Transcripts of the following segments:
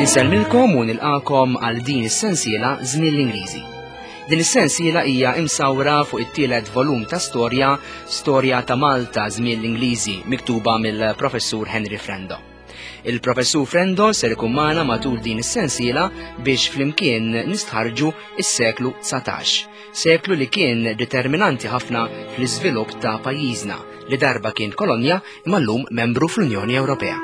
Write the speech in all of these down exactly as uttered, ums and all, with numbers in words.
Insellmilkom u nilqakom għal din is-sensiela Żmien l-Ingliżi. Din is-sensiela hija imsawra fuq it-tielet volum ta' storja, Storja ta' Malta Żmien l-Ingliżi, miktuba mill-Professur Henry Frendo. Il-Professur Frendo ser ikun magħna matul din is-sensiela biex flimkien nistħarġu is-seklu dsatax, seklu li kien determinanti ħafna fl-iżvilupp ta' pajjiżna li darba kien kolonja imma llum membru fl-Unjoni Ewropea.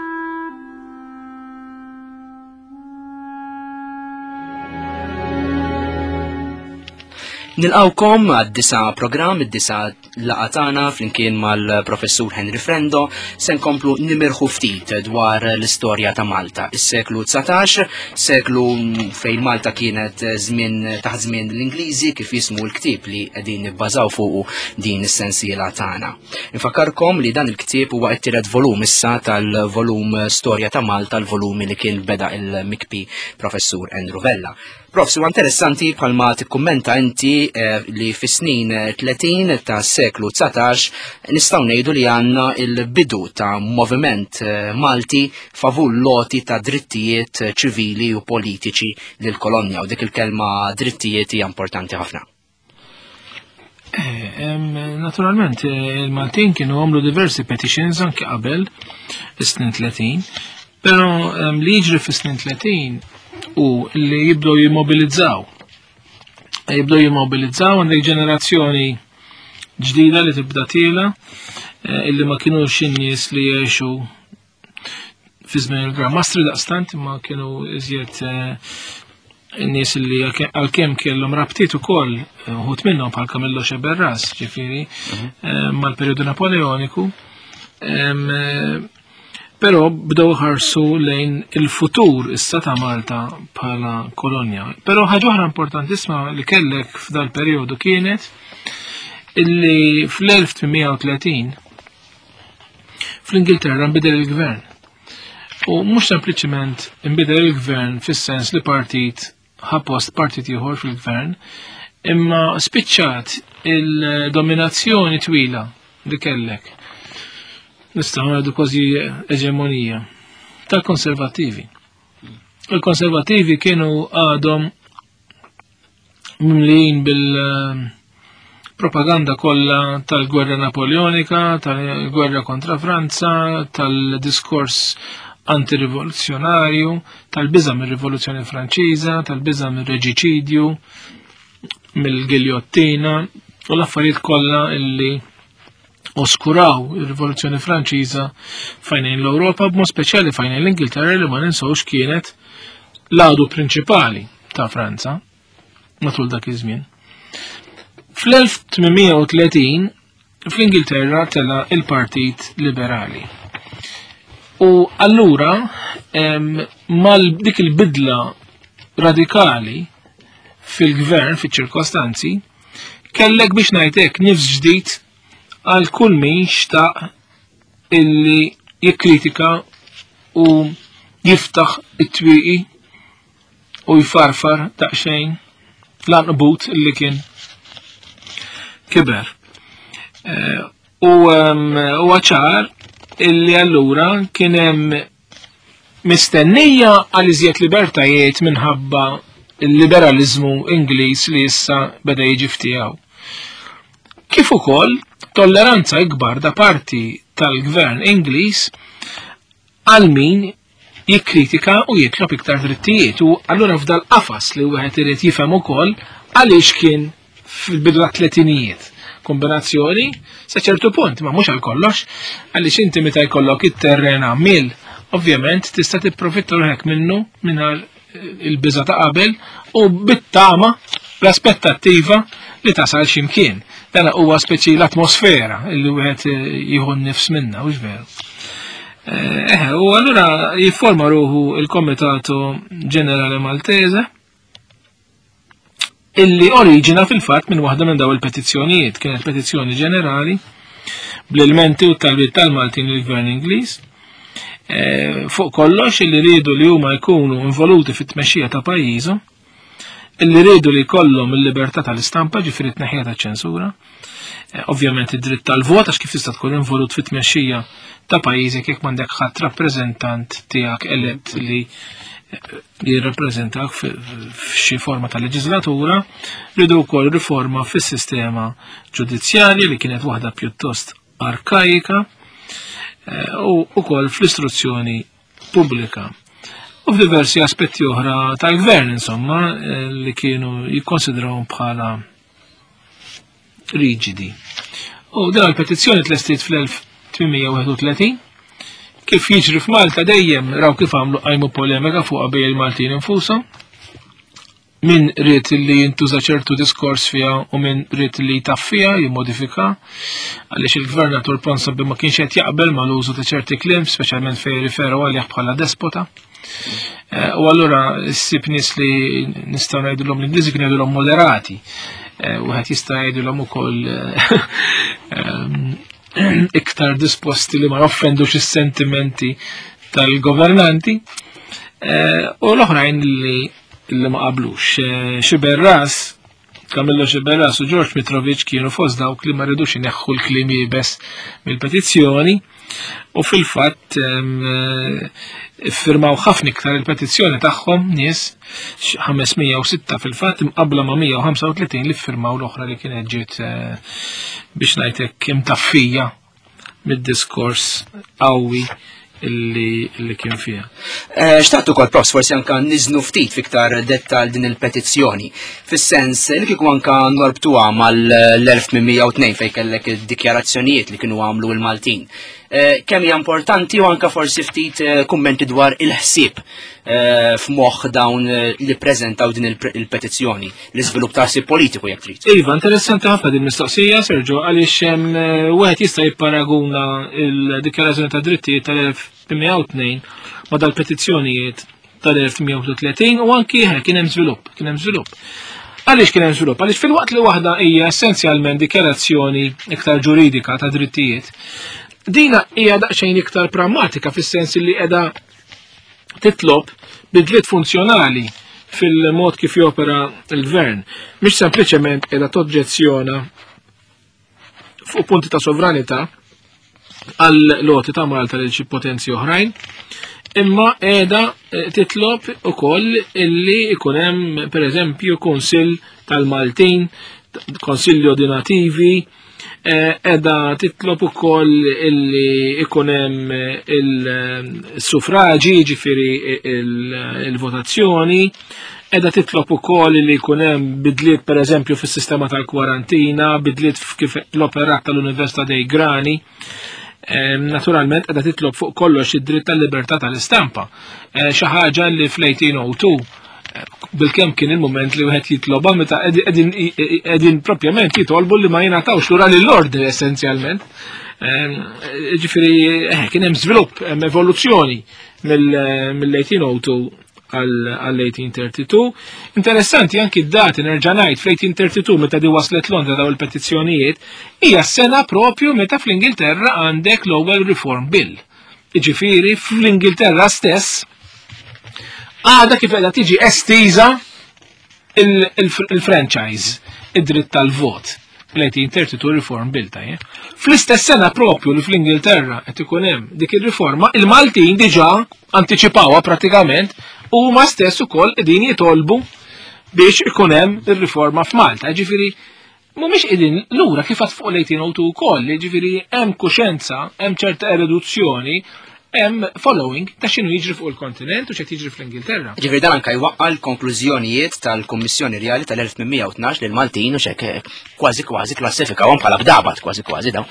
Nilqawkom għad-disa programm, id-disa laqgħa tagħna flimkien mal-Professur Henry Frendo se nkomplu nimirħu ftit dwar l-istorja ta' Malta. Is-seklu dsatax, seklu fejn Malta kienet żmien taħt żmien l-Ingliżi kif jismu l-ktieb li qegħdin nibbażaw fuqu din is-sensiela tagħna. Infakkarkom li dan il-ktieb huwa t-tielet volum issa tal-volum Storja ta' Malta, l-volumi li kien beda il-mikpi Professur Andrew Vella. Prof, huwa interessanti bħalma tikkummenta inti eh, li fis-snin tletin ta' seklu dsatax nistgħu ngħidu li għandna il-bidu ta' moviment eh, Malti favur loti ta' drittijiet ċivili u politiċi lil kolonja, u dik il-kelma drittijiet hija importanti ħafna. Eh, naturalment, il-Maltin kienu għamlu diversi petitions anke qabel is-snin tletin, però li jiġri fis-snin tletin u li jibdew jimmobilizzaw. Jibdew jimmobilizzaw għandek ġenerazzjoni ġdida li tibda tiela, illi ma kienux in-nies li jgħixu fi żmien il-Gran Mastri daqstant, imma kienu iżjed in-nies li għalkemm kellhom rabtiet ukoll uħud minnhom bħal Camillo Sceberras, ġifieri, mal-perjodu Napoleoniku. Però bdew ħarsu lejn il-futur issa ta' Malta bħala kolonja. Però ħaġa oħra importantissima li kellek f'dal perjodu kienet illi fl-elf tmien mija u tletin fl-Ingilterra nbidel il-gvern. U mhux sempliċement nbidel il-gvern fis-sens li partit ħa post partit ieħor fil-gvern, imma spiċċat il-dominazzjoni twila li kellek. Nistgħu ngħidu kważi eġemonija tal-konservattivi. Il-konservattivi kienu għadhom mimlijin bil-propaganda kollha tal-gwerra Napoleonika, tal-gwerra kontra Franza, tal-diskors antirivoluzzjonarju, tal-biża' mir-Rivoluzzjoni Franċiża, tal-biża' mir-reġiċidju, mill-giljottina u l-affarijiet kollha illi oskuraw ir-Rivoluzzjoni Franċiża fajnejn l-Ewropa, b'mod speċjali fajnejn l-Ingilterra li ma ninsewx kienet l-għadu prinċipali ta' Franza matul dak iż-żmien. Fl-elf tmien mija u tletin fl-Ingilterra tela il-Partit Liberali. U allura mal dik il-bidla radikali fil-gvern, fiċ-ċirkostanzi, kellek biex ngħidlek nifs ġdid għal kull min xtaq illi jikkritika u jiftaħ it-twieqi u jfarfar daqsxejn l-anqbut illi kien kiber. U ċar illi allura kien hemm mistennija għal iżjed libertajiet minħabba il-liberalizmu Ingliż li issa beda jiġi ftiegħu. Kif ukoll tolleranza ikbar da parti tal-gvern Ingliż għal min jikkritika u jitlob iktar drittijiet. U allura f'dal qafas li wieħed irid jifhem ukoll għaliex kien fil-bidu tat-tletinijiet. Kombinazzjoni sa ċertu punt, ma mhux għal kollox, għaliex inti meta jkollok it-terren għamil, ovvjament tista' tipprofitta ruħek minnu mingħajr il-biża ta' qabel u bit-tama l-aspettattiva li tasal x'imkien. Dan huwa speċi l-atmosfera li wieħed jieħu n-nifs minna, hux veru. Eh, u allura jifforma ruħu il-Komitato Ġenerali Maltese illi oriġina fil-fatt minn waħda minn daw il-petizzjonijiet. Kienet petizzjoni ġenerali bl-ilmenti u t-talbiet tal-Maltin lill-Gvern Ingliż. Eh, fuq kollox illi riedu li huma jkunu involuti fit-tmexxija ta' pajjiżhom, illi riedu li jkollhom il-libertà tal-istampa, ġifieri t-tneħħija taċ-ċensura, Ovvjament id-dritt tal-vot, għax kif tista' tkun involut fit-tmexxija ta' pajjiżek jekk m'għandek ħadd rappreżentant tiegħek elett li jirrappreżentak f'xi forma ta' leġislatura. Ridu wkoll riforma fis-sistema ġudizzjarja li kienet waħda pjuttost arkajika, u wkoll fl-istruzzjoni pubblika. U f'diversi aspetti oħra tal-gvern, insomma, li kienu jikkonsidrawhom bħala riġidi. U din il-petizzjoni tlestiet fl-elf tmien mija wieħed u tletin. Kif jiġri f'Malta dejjem raw kif għamlu qajmu polemika fuq bejn il-Maltin infushom. Min ried li jintuża ċertu diskors fiha u min ried li jtaffija, jimmodifika, għaliex il-gvernatur Ponsonby ma kienx qed jaqbel mal-użu ta' ċerti kliem, speċjalment fejn riferu għalih bħala despota. Eh, u allura ssib nies li nistgħu ngħidulhom l-Ingliżi kienu jgħidulhom moderati. Eh, wieħed jista' jgħidulhom ukoll, eh, iktar disposti li ma joffendux is-sentimenti tal-governanti, eh, u l-oħrajn li, li ma qablux. Eh, Sciberras, Camillo Sciberras u George Mitrovic kienu fost dawk li ma ridux ineħħu l-kliem iebes mill-petizzjoni, u fil-fatt, em, eh, iffirmaw ħafna iktar il-petizzjoni tagħhom nies, ħames mija u sitta fil-fatt, imqabbla ma' mija u ħamsa u tletin li ffirmaw l-oħra li kienet ġiet, eh, biex ngħidlek imtaffija mid-diskors qawwi illi, illi kien fiha. Eh, xtaqt ukoll, Profs, forsi anka niżnu ftit fiktar dettal din il-petizzjoni. Fis-sens li kieku anka norbtuha mal-elf tmien mija u tnejn fejn kellek id-dikjarazzjonijiet li kienu għamlu l-Maltin. Eh, kemm hija importanti u anka forsi ftit, eh, kummenti dwar il-ħsieb, eh, f'moħħ dawn, eh, li preżentaw din il-pre-, il-petizzjoni, l-iżvilupp ta' ħsieb politiku jekk trid. Iva, interessanti ħafna din mistoqsija, Sergio, għaliex hemm, eh, wieħed jista' jipparaguna il-dikjarazzjoni ta' drittijiet tal-elf tmien mija u tnejn ma' dal-petizzjonijiet tal-elf tmien mija u tletin u anki kien hemm żvilupp, kien hemm żvilupp. Għaliex kien hemm żvilupp? Għaliex fil-waqt li waħda hija essenzjalment dikjarazzjoni iktar ġuridika ta' drittijiet, dina hija daqsxejn iktar prammatika fis-sens li qiegħda titlob bidliet funzjonali fil-mod kif jopera l-gvern. Mhix sempliċement qiegħda toġġezzjona fuq punti ta' sovranità għal loti ta' Malta lil xi potenzi oħrajn, imma qiegħda, eh, titlob ukoll illi ikun hemm pereżempju Kunsill tal-Maltin, Konsiljo di Nativi, eh, qiegħda titlob ukoll illi ikun hemm il-suffraġi, jiġifieri il-votazzjoni, qiegħda titlob ukoll li jkun hemm bidliet pereżempju fis-sistema tal-kwarantina, bidliet kif l-operat tal-Università dei Grani. Ehm, naturalment qiegħda titlob fuq kollox id-dritt tal-libertà tal-istampa. Eh, xi ħaġa li fl-eighteen oh two, eh, bilkemm kien il-moment li wieħed jitloba meta qegħdin, qegħdin propjament jitolbu li ma jingħatawx lura lill-ordni essenzjalment. Ehm, ġifieri, eh, kien hemm żvilupp, hemm evoluzzjoni mill-, mill-eighteen oh two għal eighteen thirty-two. Interessanti anki d-dati, nerġa' ngħid, fl-eighteen thirty-two meta di waslet Londra daw il-petizzjonijiet, hija s-sena propju meta fl-Ingilterra għandek l-ewwel Reform Bill. Jiġifieri fl-Ingilterra stess għadha kif qiegħda tiġi estiża il-, il-, il-franchise, id-dritt tal-vot. Fl-eighteen thirty-two Reform Bill tajjeb. Fl-istess sena propju li fl-Ingilterra qed ikun hemm dik ir-riforma, il-Maltin diġà antiċipawha pratikament u huma stess ukoll qegħdin jitolbu biex ikun hemm ir-riforma f'Malta. Ġifieri mhumiex qegħdin lura kif għad fuq l-eighteen oh two ukoll, ġifieri hemm kuxenza, hemm ċerta erudizzjoni, hemm following ta' x'inhu jiġri fuq il-kontinent u x'qed jiġri fl-Ingilterra. Ġifieri dan anke jwaqqa' l-konklużjonijiet tal-Kummissjoni Rjali tal-elf tmien mija u tnax lil Maltin u x'hekk kważi kważi klassifikawhom bħala bdabat, kważi kważi daw.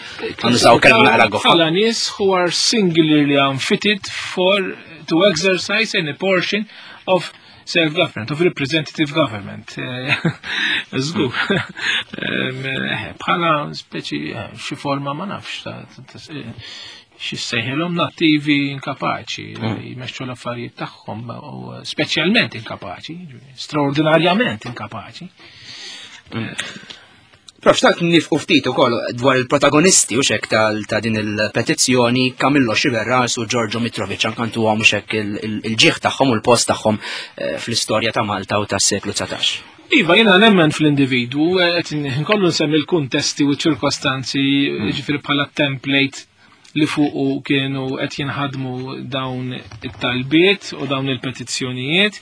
Nużaw kelma naqra goffa. Bħala nies who are singularly unfitted for to exercise any portion of self-government, of representative government. Żgur. Bħala speċi, eh, xi forma ma nafx ta', ta, ta, xi sejħilhom nattivi inkapaċi Mm. li jmexxu l-affarijiet tagħhom u speċjalment inkapaċi, straordinarjament inkapaċi. Mm. Prof, xtaqt nifqu ftit ukoll dwar il-protagonisti u xek tal-, ta' din il-petizzjoni Camillo Sciberras u Giorgio Mitrovic, anke ntuhom u xek il-, il-, il-ġieħ tagħhom u l-post tagħhom, eh, fl-istorja ta' Malta u tas-seklu dsatax. Iva, jiena nemmen fl-individwu, qed nkollu nsemmi l-kuntesti u ċ-ċirkostanzi, ġifieri bħala template li fuqu kienu qed jinħadmu dawn it-talbiet u dawn il-petizzjonijiet,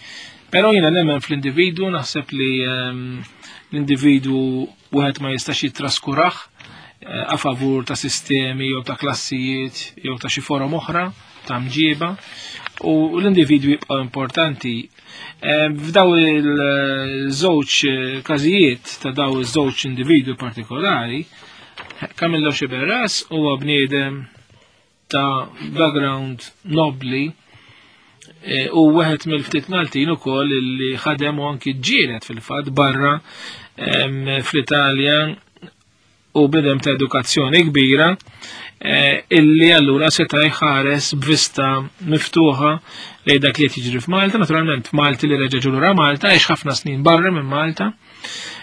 però jiena nemmen fl-individwu, naħseb li ehm, l-individwu wieħed ma jistax jittraskurah eh, a favur ta' sistemi jew ta' klassijiet jew ta' xi forom oħra ta' mġiba u l-individwi jibqa' importanti. Eh, f'daw il-żewġ każijiet ta' daw iż-żewġ individwi partikolari, Camillo Sciberras huwa bniedem ta' background nobli eh, u wieħed mill-ftit Maltin ukoll li ħadem u anki ġġieled fil-fatt barra fl-Italja u bniedem ta' edukazzjoni kbira eh, illi allura seta' jħares b'vista miftuħa lejn dak li qed jiġri f'Malta, naturalment Malti li reġa' lura Malta, għex ħafna snin barra minn Malta.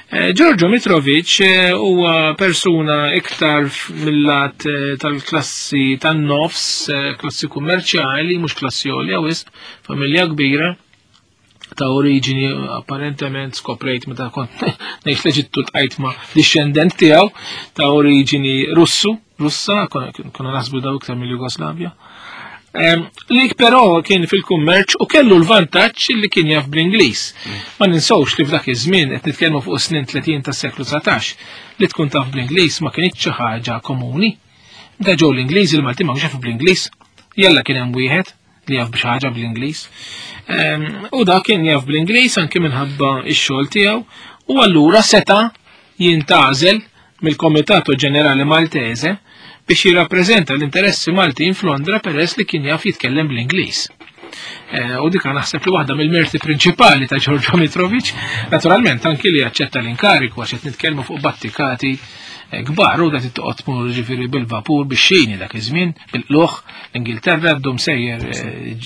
Eh, Giorgio Mitrovic eh, huwa persuna iktar mill-lat tal-klassi tan-nofs, klassi kummerċjali, mhux klassi għolja wisq, familja kbira ta' oriġini apparentement skoprejt meta kont ngħix l-Eġittu ltqajt ma' discendent tiegħu ta' oriġini Russu, Russa, konna naħsbu daw iktar mill-Jugoslavja. Li però kien fil-kummerċ u kellu l-vantaġġ li kien jaf bl-Ingliż. Ma ninsawx li f'dak iż-żmien qed nitkellmu fuq snin tletin tas-seklu dsatax li tkun taf bl-Ingliż ma kienx xi ħaġa komuni. Meta ġew l-Ingliż il-Malti ma kienx jafu bl-Ingliż. Jalla kien hemm wieħed li jaf b'xi ħaġa bl-Ingliż. U dak kien jaf bl-Ingliż anke minħabba x-xogħol tiegħu u allura seta' jintgħażel mill-Komitato Ġenerali Maltese biex jirrappreżenta l-interessi Maltin f'Londra peress li kien jaf jitkellem bl-Ingliż. U dik naħseb li waħda mill-merti prinċipali ta' Giorgio Mitrovic, naturalment anki li jaċċetta l-inkariku għax qed nitkellmu fuq battikati kbar u da tittoqgħod tmur ġifieri bil-vapur bix-xini dak iż-żmien, bil-qluħ, l-Ingilterra ddum sejjer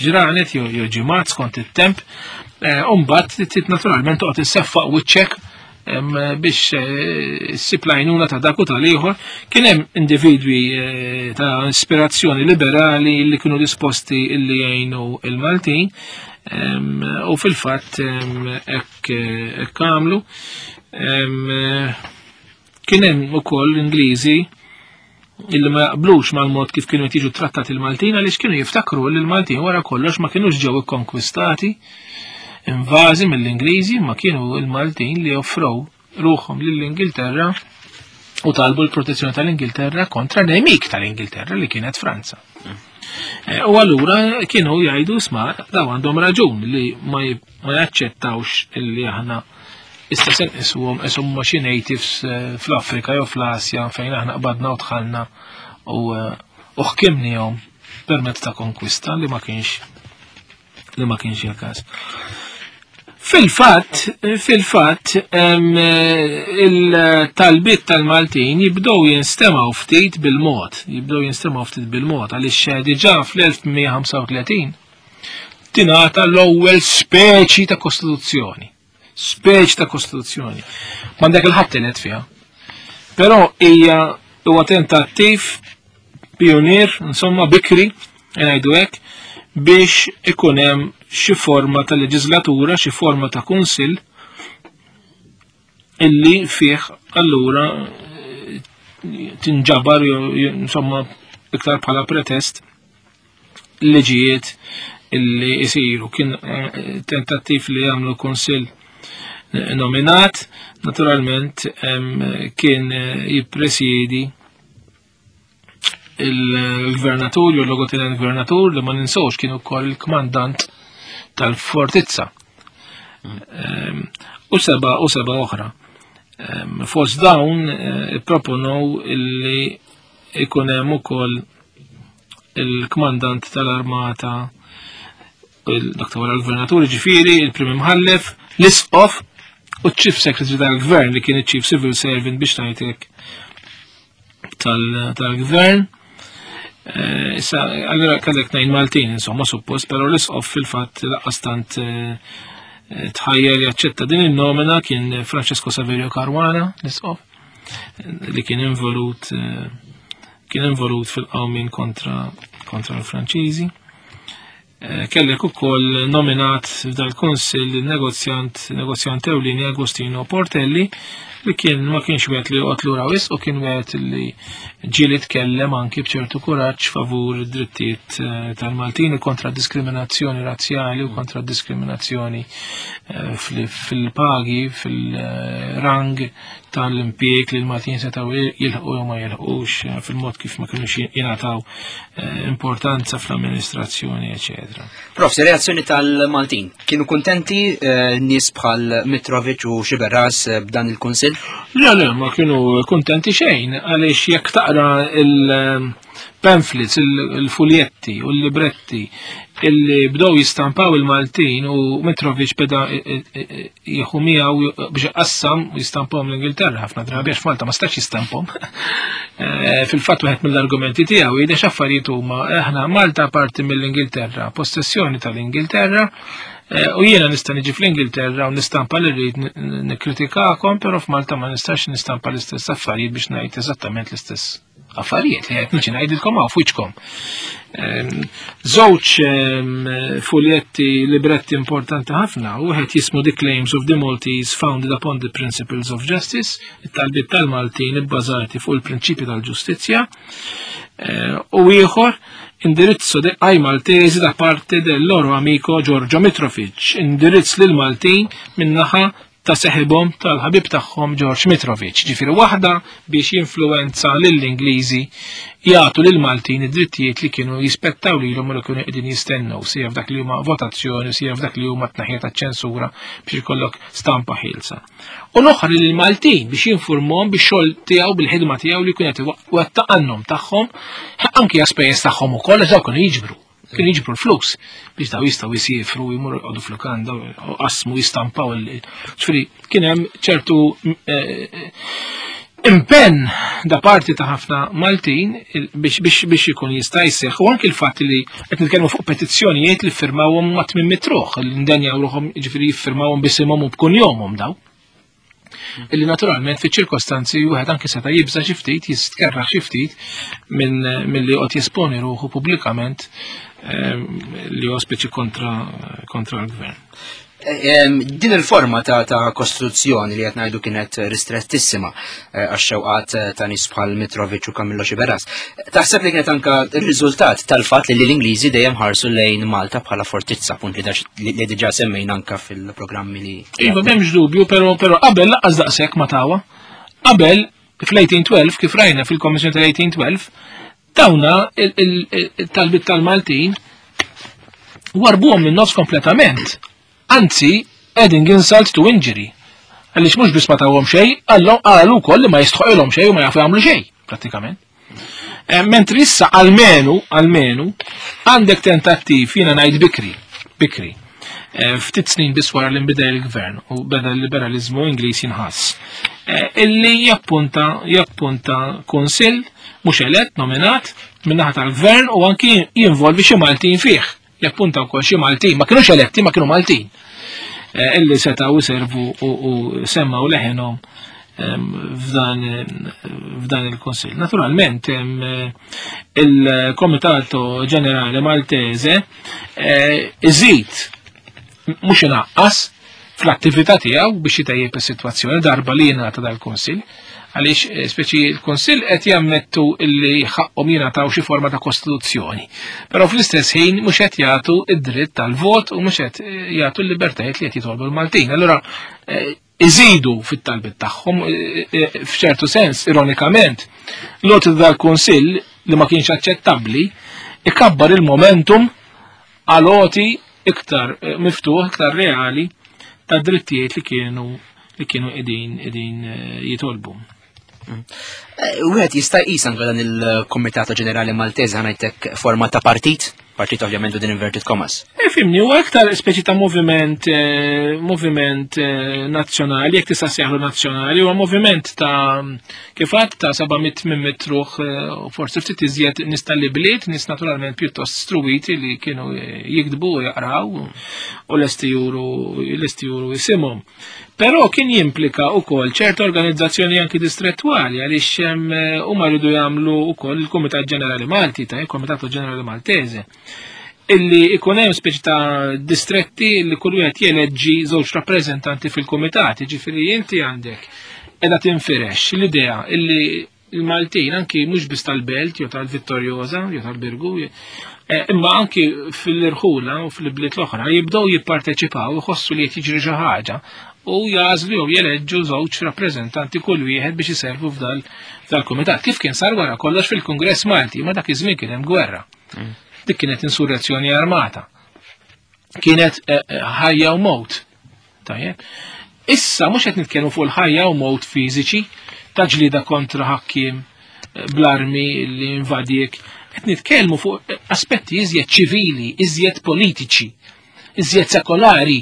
ġranet jew ġimgħat skont it-temp, u mbagħad trid naturalment toqgħod isseffaq wiċċek biex ssib l-għajnuna ta' dak u tal-ieħor. Kien hemm individwi ta' ispirazzjoni liberali li kienu disposti illi jgħinu il-Maltin u fil-fatt hekk għamlu. Kien hemm ukoll Ingliżi illi ma jaqblux mal-mod kif kienu jiġu trattati il-Maltin għaliex kienu jiftakru li l-Maltin wara kollox ma kienux ġew ikkonkwistati, invażi mill-Ingliżi, ma kienu il-Maltin li offrow ruħhom lill-Ingilterra u talbu l-protezzjoni tal-Ingilterra kontra nemik tal-Ingilterra li kienet Franza. U allura kienu jgħidu isma' daw għandhom raġun li ma jaċċettawx illi aħna issa se nqisuhom qishom huma xi natives fl-Afrika jew fl-Asja fejn aħna qbadna u dħalna u ħkimnihom permezz ta' konkwista li ma kienx li ma kienx il-każ. Fil-fatt, fil-fatt, il-talbiet tal-Maltin jibdew jinstemaw ftit bil-mod, jibdew jinstemaw ftit bil-mod, għaliex diġà fl-elf mija ħamsa u tletin tingħata l-ewwel speċi ta' kostituzzjoni. Speċi ta' kostituzzjoni. M'għandek il-ħadd tenet fiha. Però hija huwa tentattiv pionier, insomma bikri, ngħidu hekk, biex ikun hemm xi forma ta' leġislatura, xi forma ta' kunsill illi fih allura tinġabar insomma iktar bħala pretest liġijiet illi jisiru. Kien tentattiv li jagħmlu kunsill nominat, naturalment kien jippresjedi il-gvernatur jew l-logotenent gvernatur li ma ninsewx kienu wkoll il-kmandant tal-fortizza. U seba u seba oħra. Fost dawn ipproponow illi ikun hemm ukoll il-kmandant tal-armata, dak ta' wara l-gvernatur, ġifieri il-prim imħallef, l-isqof u ċ-chief secretary tal-gvern li kien iċ-chief civil servant biex ngħidlek tal-gvern. Issa, allura kellek tnejn Maltin, insomma, suppost, però l-isqof fil-fatt laqqas tant tħajjer jaċċetta din in-nomina kien Francesco Saverio Caruana, l-isqof, li kien involut kien involut fil-qawmien kontra kontra l-Franċiżi. Kellek ukoll nominat f'dal-kunsill negozjant negozjant ewlieni Agostino Portelli, li kien ma kienx wieħed li joqgħod lura wisq u kien wieħed li ġieli tkellem anki b'ċertu kuraġġ favur id-drittijiet tal-Maltin kontra diskriminazzjoni razzjali u kontra diskriminazzjoni fil-pagi, fil-rang tal-impjieg li l-Maltin setgħu jilħqu jew ma jilħqux, fil-mod kif ma kinux jingħataw importanza fl-amministrazzjoni, eċetera. Prof, reazzjoni tal-Maltin, kienu kuntenti nies bħal Mitrovic u Sciberras b'dan il-kunsill? Le, le, ma kienu kuntenti xejn, għaliex jekk taqra il-pamphlets, il-fuljetti u l-libretti illi bdew jistampaw il-Maltin u Mitrovic beda jieħu miegħu biex iqassam u jistampahom l-Ingilterra ħafna drabi għax Malta ma stax jistampahom. Fil-fatt wieħed mill-argumenti tiegħu jgħid x'affarijiet huma aħna Malta parti mill-Ingilterra, possessjoni tal-Ingilterra, u jiena nista' niġi fl-Ingilterra u nistampa li rrid nikkritikakom, però f'Malta ma nistax nistampa l-istess affarijiet biex ngħid eżattament l-istess affarijiet li qed niġi ngħidilkom hawn f'wiċċkom. Żewġ fuljetti libretti importanti ħafna, wieħed jismu The Claims of the Maltese Founded Upon the Principles of Justice, it-talbiet tal-Maltin ibbażati fuq il-prinċipji tal-ġustizzja, u ieħor indirizzo ai Maltesi da parte del loro amico Giorgio Mitrovic, indirizz lil Maltin min-naħa ta' seħibhom tal-ħabib tagħhom George Mitrovic. Ġifieri waħda biex jinfluwenza lill-Ingliżi jagħtu lill-Maltin id-drittijiet li kienu jispettaw lilhom u li kienu qegħdin jistennew, sija f'dak li huma votazzjoni, sija f'dak li huma tnaħija taċ-ċensura biex ikollok stampa ħielsa. U l-oħra lill-Maltin biex jinformhom bix-xogħol tiegħu, bil-ħidma tiegħu li kien qed iwettaq għan-nom tagħhom, anki għaspejjeż tagħhom ukoll għax dawk kienu jiġbru. Kienu jiġbru l-flus biex daw jistgħu jsiefru, jmorru jqogħdu fl-lukanda, u qasmu jistampaw il- Ġifieri kien hemm ċertu impenn da parti ta' ħafna Maltin biex biex biex ikun jista' jseħħ, u anki l-fatt li qed nitkellmu fuq petizzjonijiet li ffirmawhom ma' tmien mitt ruħ, li ndenjaw ruħhom, jiġifieri jiffirmawhom bisimhom u b'kunjomhom daw. Illi naturalment fi ċirkostanzi wieħed anke seta' jibża' xi ftit, jistkerraħ xi ftit minn milli joqgħod jesponi ruħu pubblikament li huwa speċi kontra kontra l-gvern. Din il-forma ta' ta' kostruzzjoni li qed ngħidu kienet ristrettissima għax-xewqat ta' nies bħal Mitrovic u Camillo Sciberras. Taħseb li kienet anka r-riżultat tal-fatt li l-Ingliżi dejjem ħarsu lejn Malta bħala fortizza, punt li li diġà semmejna anka fil-programmi li Iva, m'hemmx dubju, però però qabel lanqas daqshekk ma tawa. Qabel fl-eighteen twelve, kif rajna fil-Kommissjoni tal-eighteen twelve, dawna il-talbit tal-Maltin warbuhom minn nofs kompletament. Anzi, adding insult to injury. Għaliex mhux biss ma tawhom xejn, qalu wkoll li ma jistħoqilhom xejn u ma jafu jagħmlu xejn, prattikament. Mentri issa almenu, almenu, għandek tentattiv, jiena ngħid bikri, bikri. Ftit snin biss wara li nbidel il-gvern u beda l-liberalizmu Ingliż jinħass. Illi jappunta, jappunta kunsill mhux elett, nominat, min-naħa tal-gvern u anki jinvolvi xi Maltin fih. Jappunta wkoll xi Maltin, ma kinux eletti, ma kienu Maltin. Illi setgħu jservu u semmaw leħenhom f'dan, f'dan il-Kunsill. Naturalment, il-Komitato Ġenerali Maltese iżid mhux inaqqas fl-attività tiegħu biex jitejjeb is-sitwazzjoni darba li jingħata dal-Kunsill, għaliex speċi l-Kunsill qed jammettu li ħaqhom jingħataw xi forma ta' kostituzzjoni. Però fl-istess ħin mhux qed jagħtu id-dritt tal-vot u mhux qed jagħtu l-libertajiet li qed jitolbu l-Maltin. Allura iżidu fit-talbiet tagħhom, f'ċertu sens, ironikament, l-għoti dal-Kunsill li ma kienx aċċettabbli ikabbar il-momentum għal għoti iktar miftuħ, iktar reali ta' drittijiet li kienu li kienu qegħdin qegħdin jitolbu. Wieħed jista' jqis anke dan il-Kumitat Ġenerali Maltese ħanajtek forma ta' partit, partit ovvjament din inverted commas. Fimni, huwa aktar speċi ta' moviment, moviment nazzjonali, jekk tista' sejħlu nazzjonali, huwa moviment ta' kif għadt ta' seba' mitt minn mitt ruħ, u forsi ftit iżjed nies tal-ibliet, nies naturalment pjuttost struwiti li kienu jiktbu u jaqraw u lesti juru, lesti juru jisimhom. Però kien jimplika wkoll ċerta organizzazzjoni anki distrettwali għaliex huma rridu jagħmlu wkoll il-Kumitat Ġenerali Malti, ta' il-Kumitat Ġenerali Maltese. Illi ikun hemm speċi ta' distretti li kull wieħed jeleġġi żewġ rappreżentanti fil-kumitat, jiġifieri inti għandek qiegħda tinfirex l-idea illi il-Maltin anki mhux biss tal-Belt jew tal-Vittoriosa jew tal-Birgu, imma anki fil-irħula u fil-bliet l-oħra jibdew jipparteċipaw, iħossu li qed jiġri xi ħaġa u jażlu jew jeleġġu żewġ rappreżentanti kull wieħed biex iservu f'dal-kumitat. Kif kien sar wara kollox fil-Kungress Malti, ma dak iż-żmien kien hemm gwerra. Dik kienet insurrezzjoni armata. Kienet ħajja u mowt. Tajjeb. Issa mhux qed nitkellmu fuq il-ħajja u mowt fiżiċi ta' ġlieda kontra ħakkiem bl-armi li invadiek, qed nitkellmu fuq aspetti iżjed ċivili, iżjed politiċi, iżjed sekolari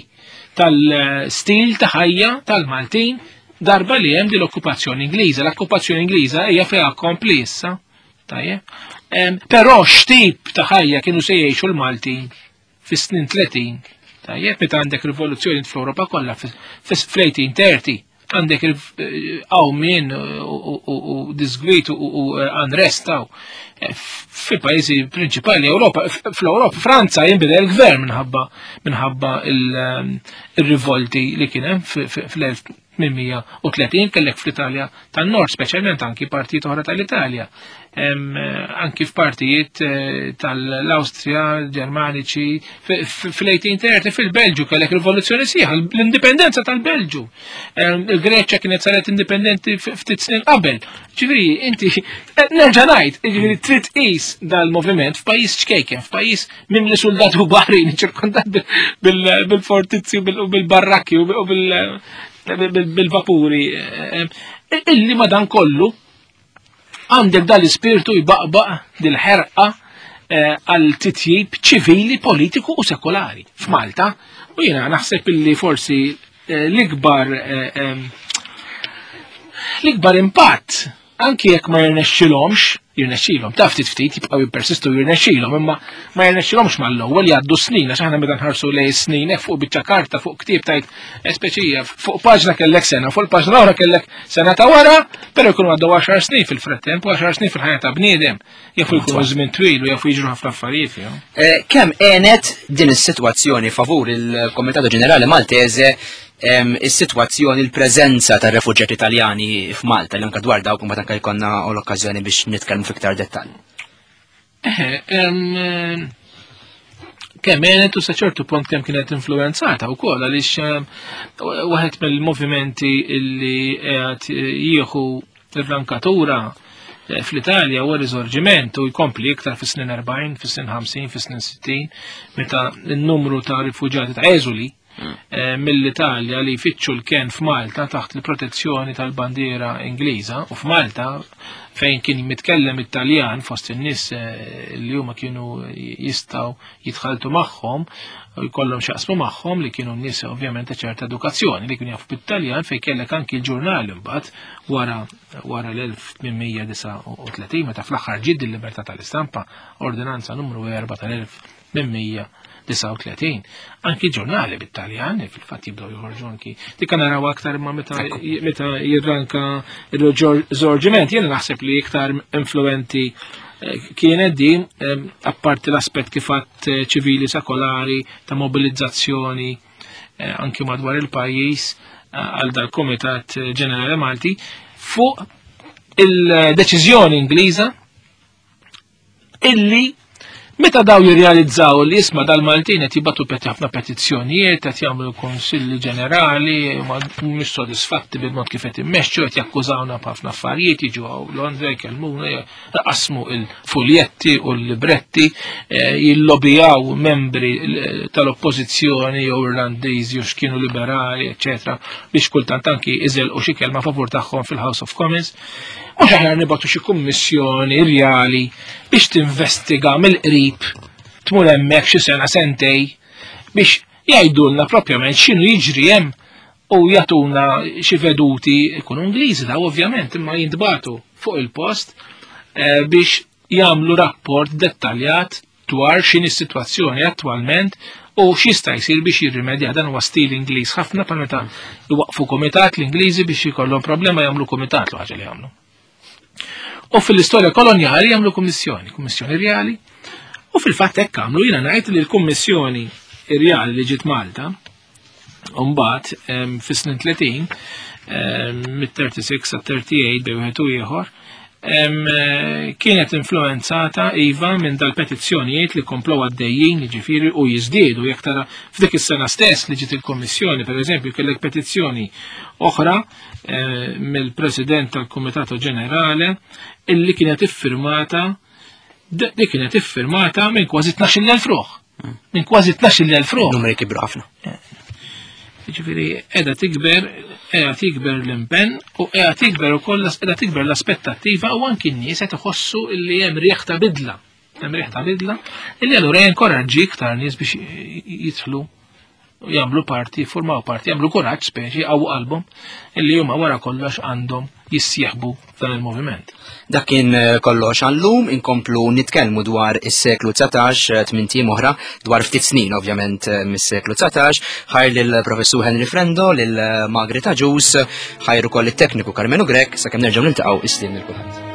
tal-stil ta' ħajja tal-Maltin darba li hemm din l-okkupazzjoni Ingliża. L-okkupazzjoni Ingliża hija fejha kompli issa. Tajjeb. Però x'tip ta' ħajja kienu se jgħixu l-Maltin fis-snin tletin. Tajjeb, meta għandek rivoluzzjoni fl-Ewropa kollha fl-eighteen thirty għandek qawmien u disgwit u unrest fil-pajjiżi prinċipali Ewropa, fl-Ewropa, Franza jinbidel il-gvern minħabba minħabba il-rivolti li kien hemm fl-elf tmien mija u tletin, kellek fl-Italja tan-Nord, speċjalment anki partijiet oħra tal-Italja, anki f'partijiet tal-Awstrija, Ġermaniċi, fl-eighteen thirty fil-Belġu kellek rivoluzzjoni sieħa, l-indipendenza tal-Belġu. Il-Greċja kienet saret indipendenti ftit snin qabel. Ġifieri, inti, nerġa' ngħid, ġifieri trid tqis dal-moviment f'pajjiż ċkejken, f'pajjiż mimli soldati u baħrin, ċirkondat bil-fortizzi u bil-barrakki u bil-vapuri, illi madan kollu għandek dal-ispirtu jbaqbaq dil-ħerqa għal titjib ċivili, politiku u sekolari f'Malta. U jiena naħseb illi forsi l-ikbar l-ikbar impatt, anki jekk ma jirnexxilhomx, jirnexxilhom, taf ftit ftit jibqgħu jippersistu jirnexxilhom, imma ma jirnexxilhomx mal-ewwel jgħaddu snin, għax aħna meta nħarsu lej snin hekk fuq biċċa karta, fuq ktieb tajt speċija, fuq paġna kellek sena, fuq il-paġna oħra kellek sena ta' wara, però jkunu għaddew għaxar snin fil-frattemp, u għaxar snin fil-ħajja ta' bniedem, jafu jkunu żmien twil u jafu jiġru ħafna affarijiet fihom. Kemm għenet din is-sitwazzjoni favur il-Komitatu Ġenerali Maltese is-sitwazzjoni, il-preżenza tar refuġjati Italjani f'Malta, li anke dwar dawk mbagħad anke jkollna l-okkażjoni biex nitkellmu fiktar dettall. Eħe, kemm għenet u sa ċertu punt kemm kienet influenzata wkoll, għaliex waħed mill-movimenti illi qed jieħu r-rankatura fl-Italja huwa riżorġiment u jkompli iktar fis-snin erbgħin, fis-snin ħamsin, fis-snin sittin, meta n-numru ta' rifuġjati ta' eżuli mill-Italja li jfittxu l-ken f'Malta taħt il-protezzjoni tal-bandiera Ingliża, u f'Malta fejn kien mitkellem Italjan fost in-nies li huma kienu jistgħu jitħaltu magħhom u jkollhom x'jaqsmu magħhom, li kienu n-nies ovvjament ta' ċerta edukazzjoni li kienu jafu bit-Taljan, fejn kellek anki l-ġurnali mbagħad wara, wara l-elf tmien mija disa' u tletin, meta fl-aħħar ġiet il-libertà tal-istampa, ordinanza numru erba' tal-elf tmien mija disa' u tletin. Anki ġurnali bit-Taljan, fil-fatt jibdew joħorġu anki. Dik naraw aktar imma meta meta jirranka il-riżorġiment, jiena naħseb li iktar influenti kienet din, apparti l-aspett kif għadt ċivili sekolari ta' mobilizzazzjoni anki madwar il-pajjiż għal dal-Komitat Ġenerali Malti fuq il-deċiżjoni Ingliża illi meta daw jirrealizzaw li isma' dal-Maltin qed jibgħatu peti ħafna petizzjonijiet, qed jagħmlu konsilli ġenerali, ma mhux sodisfatti bil-mod kif qed immexxu, qed jakkużawna b'ħafna affarijiet, jiġu hawn Londra jkellmuna, jaqasmu il-fuljetti u l-libretti, eh, jillobijaw membri tal-oppożizzjoni jew Irlandiżi jew x'kienu liberali, eċċetera, biex kultant anki iżelqu xi kelma favur tagħhom fil-House of Commons. Mhux aħjar nibgħatu xi kummissjoni rjali biex tinvestiga mill-qrib, tmur hemmhekk xi sena sentej biex jgħidulna propjament x'inhu jiġri hemm u jagħtuna xi veduti, ikunu Ingliżi daw ovvjament, imma jintbagħtu fuq il-post, eh, biex jagħmlu rapport dettaljat dwar x'inhi s-sitwazzjoni attwalment u x'jista' jsir biex jirrimedja. Dan huwa stil Ingliż ħafna, bħal meta jwaqfu komitat l-Ingliżi biex jkollhom problema jagħmlu komitat l ħaġa li jagħmlu. U fil-istorja kolonjali jagħmlu kummissjoni, kummissjoni reali, U fil-fatt hekk għamlu. Jiena ngħid li l-Kummissjoni Irjali li ġiet Malta, mbagħad fis-snin tletin, mit-tletin u sitta sa tletin u tmienja bejn wieħed u ieħor, kienet influenzata iva minn dal-petizzjonijiet li komplow għaddejjin, ġifieri, u jiżdiedu. Jekk tara f'dik is-sena stess li ġiet il-Kommissjoni, per eżempju, kellek petizzjoni oħra mill-President tal-Kumitatu Ġenerali illi kienet iffirmata, dik kienet iffirmata minn kważi tnax-il elf ruħ. Minn kważi tnax-il elf ruħ. Numri kibru ħafna. Ġifieri qiegħda tikber, qiegħda tikber l-impenn u qiegħda tikber ukoll qiegħda tikber l-aspettattiva u anki n-nies qed iħossu li hemm riħ ta' bidla. Hemm riħ ta' bidla illi allura jinkoraġġi iktar nies biex jidħlu, jagħmlu parti, formaw parti, jagħmlu kuraġġ speċi għaw qalbhom illi huma wara kollox għandhom jissieħbu f'dan il-moviment. Dak kien eh, kollox għallum, inkomplu nitkellmu dwar is-seklu dsatax, eh, tmint ijiem oħra, dwar ftit snin ovvjament eh, mis-seklu dsatax. Ħajr lill-professur Henry Frendo, lil Margaret Agius, ħajr ukoll it-tekniku Carmenu Grech, sakemm nerġgħu niltaqgħu, is-sliem lil kulħadd.